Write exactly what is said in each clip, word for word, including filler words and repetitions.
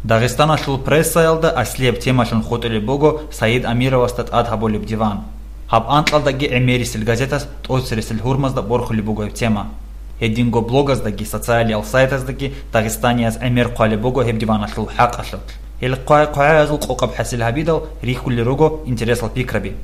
Дагъистаналъул прессаялда аслияб темалъун хутӀулеб буго Саид Амировасда тӀад гьабулеб диван. Гьаб анкьалдаги гӀемерисел газетас тӀоцересел гьурмазда борхулеб буго гьеб тема. Гьединго блогаздаги социалиял сайтаздаги дагъистанияз гӀемер хъвалеб буго гьеб диваналъул хӀакъалъулъ. Гьел хъвай-хъвагӀаязул къокъаб хӀасил гьабидал рихьулел руго интересал пикраби.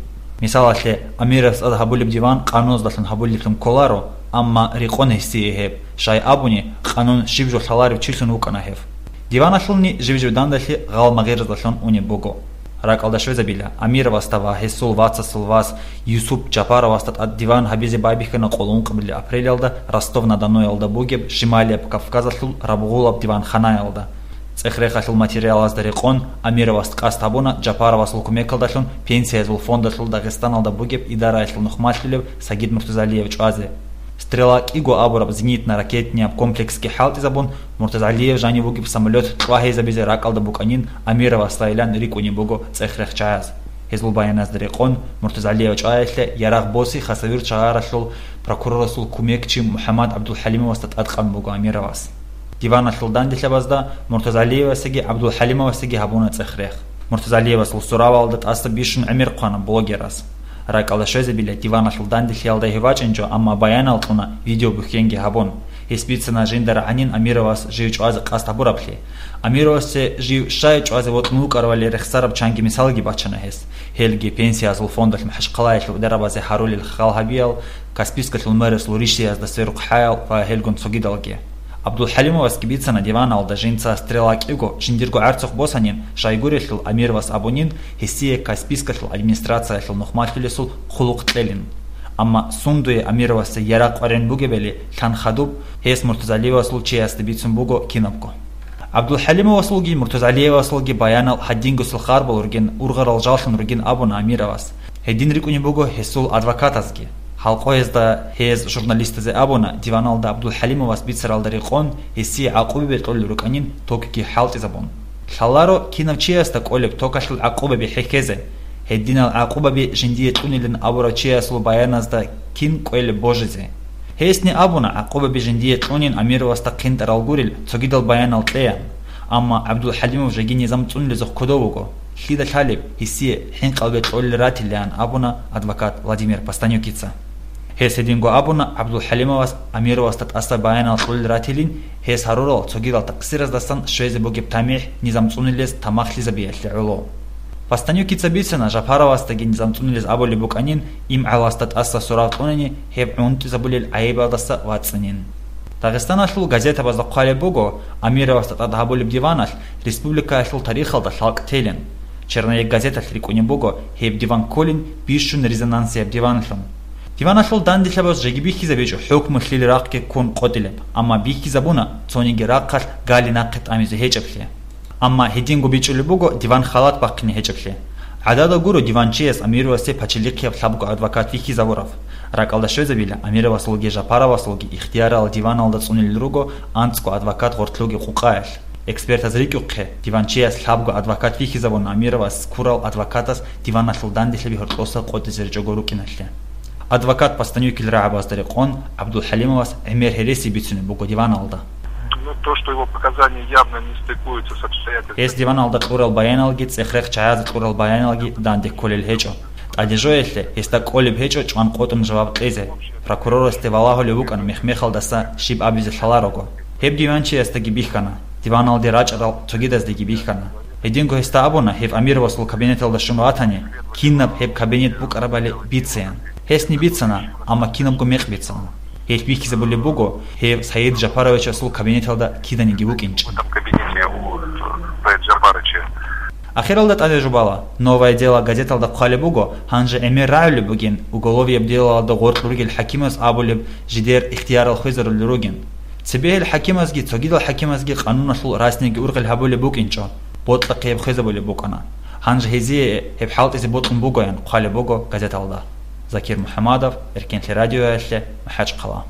Мисалалъе, Амировас тӀад гьабулеб диван къануназдалъун гьабулеблъун кколаро, амма рекъон гьесие гьеб, щай абуни, къанун щиб жо лъаларев чилъун вукӀана гьев. Диваналъулни жив-жив дандалъи гъал-магъираздалъун унеб буго. РакӀалда щвезабила, Амировасда ва гьесул вацасул вас Юсуп Жапаровасда тӀад диван гьабизе байбихьана къоло ункъабилеб апрелалда Ростов-на-Доноялда бугеб Шималияб Кавказалъул рабгъулаб диванханаялда. ЦӀех-рехалъул материалазда рекъон, Амировас къасд гьабуна Жапаровасул кумекалдалъун Пенсиязул фондалъул Дагъистаналда бугеб идараялъул нухмалъулев Сагид Муртазалиев чӀвазе. «Стрела» кӀиго абураб зенитно-ракетнияб комплексги хӀалтӀизабун, Муртазалиев жанив вугеб самолет кьвагьизабизе ракӀалда букӀанин Амировасайилан рикӀкӀунеб буго цӀех-рехчаяз. Гьезул баяназда рекъон, Муртазалиев чӀваялъе ярагъ боси Хасавюрт шагьаралъул прокурорасул кумекчи МухӀаммад ГӀабдулхӀалимовасда тӀадкъан буго Амировас. Диваналъул данделъабазда Муртазалиевасеги ГӀабдулхӀалимовасеги гьабуна цӀех-рех. Муртазалиевасул суравалда тӀаса бищун гӀемер хъвана блогерас. РакӀалда щвезабила, диваналъул данделъиялда гьев вачӀинчӀо, амма баянал кьуна видеобухьенги гьабун. Гьес бицана жинда рагӀанин Амировас жив чӀвазе къасд гьабураблъи. Амировасде жив щай чӀвазе вокьун вукӀарабали рехсараб чанги мисалги бачана гьес. Гьелги Пенсиязул фондалъ МахӀачхъалаялъул дарабазе гьарулел хал гьабиял, Каспийскалъул мэрасул ришдиязда сверухъ хӀаял ва гьелгун цогидалги. ГӀабдулхӀалимовасги бицана диваналда жинца «Стрела» кӀиго жиндирго гӀарцухъ босанин, щайгурелъул Амировас абунин, гьесие Каспийскалъул администрациялъул нухмалъулесул хъулухъ кьелин. Амма сундуе Амировасда ярагъ къваригӀун бугебали лъан хадуб, гьес Муртазалиевасул чиясда бицун буго кинабго. ГӀабдулхӀалимовасулги Муртазалиевасулги баянал гьадингосел харбал ругин, ургъарал жаллъун ругин абуна Амировас. Гьедин рикӀкӀунеб буго гьесул адвокатазги. Гьалкъоязда гьез журналистазе абуна, диваналда ГӀабдулхӀалимовас бицаралда рекъон, гьесие гӀакъубаби кьолел рукӀанин токги хӀалтӀизабун. Лъаларо кинав чиясда кӀолеб токалъул гӀакъубаби хӀехьезе. Гьединал гӀакъубаби жиндие кьунилан абурав чиясул баяназда кин кӀвелеб божизе. Гьесни абуна, гӀакъубаби жиндие кьунин Амировасда хъинтӀарал гурел цогидал баянал кьеян. Амма ГӀабдулхӀалимов жеги низам цӀунулезухъ кодов вуго. Лъида лъалеб, гьесие хӀинкъалбе кьолел ратилеан абуна адвокат Владимир Постанюкица. Гьес гьединго абуна ГӀабдулхӀалимовас Амировасда тӀаса баянал кьолел ратилин, гьес гьарурал цогидал такъсираздасан щвезе бугеб тамихӀ низам цӀунилез тамахлъизабиялъе гӀоло. Постанюкица бицана Жапаровасдаги низам цӀунилез абулеб букӀанин, имгӀаласда тӀаса сурав кьунани гьеб гӀунтӀизабулел гӀайибалдаса вацӀцӀанин. Дагъистаналъул газетабазда хъвалеб буго, Амировасда тӀад гьабулеб диваналъ республикаялъул тарихалда лъалкӀ телин. «Черновик» газеталъ рикӀкӀунеб буго гьеб диван кколин бищун резонансияб диванлъун. Диваналъул данделъабаз жеги бихьизабичӀо хӀукму лъил рахъги ккун къотӀилеб, амма бихьизабуна цониги рахъалъ гали нахъе тӀамизе гьечӀеблъи. Амма гьединго бичӀчӀулеб буго диван халат бахъине гьечӀеблъи. ГӀадада гуро диванчияс Амировасе пачалихъияб лъабго адвокат вихьизабураб. РакӀалда щвезабила, Амировасулги Жапаровасулги ихтиярал диваналда цӀунилел руго анцӀго адвокат гъортлъуги къукъаялъ. Экспертаз рикӀухъе, диванчияс лъабго адвокат вихьизабуна Амировас ккурал адвокатас диваналъул данделъаби гьоркьоса къотӀизе ричӀого рукӀиналъе. Адвокат Постанюкил рагӀабазда рекъон, ГӀабдулхӀалимовас гӀемер гьереси бицунеб буго диваналда. Ну, то, что его показания явно не стыкуются с обстоятельствами. Гьес диваналда кьурал баяналги цӀех-рехчаяз кьурал баяналги данде кколел гьечӀо. ТӀаде жоялъе гьесда кӀолеб гьечӀо чӀван къотӀун жаваб кьезе. Прокурорасде валагьулев вукӀана мех-мехалдаса щиб абизе лъаларого. Гьеб диванчиясдаги бихьана, диваналде рачӀарал цогидаздаги бихьана. Гьединго гьесда абуна, гьеб Амировасул кабинеталда щун ватани, кинаб гьеб кабинет букӀарабали бицеян. Гьесни бицана, амма кинабго мекъ бицана. Гьелъ бихьизабулеб буго, гьев Саид Жапаровичасул кабинеталда киданиги вукӀинчӀин. В этом кабинете у Саид Жапаровича. Ахиралда тӀаде жубала, «Новое дело» газеталда хъвалеб буго, гьанже гӀемер рагӀулеб бугин, уголовияб делалда гъоркь ругел хӀакимас абулеб жидер ихтиярал хвезарулел ругин. Цебе гьел хӀакимазги цогидал хӀакимазги къануналъул расниги ургъел гьабулеб букӀинчӀо, бокьахъе гьеб хвезабулеб букӀана. Гьанже гьезие гьеб хӀалтӀизе бокьун бугоян хъвалеб буго газеталда. Закир МухӀамадов, Эркенлъи радиоялъе, МахӀачхъала.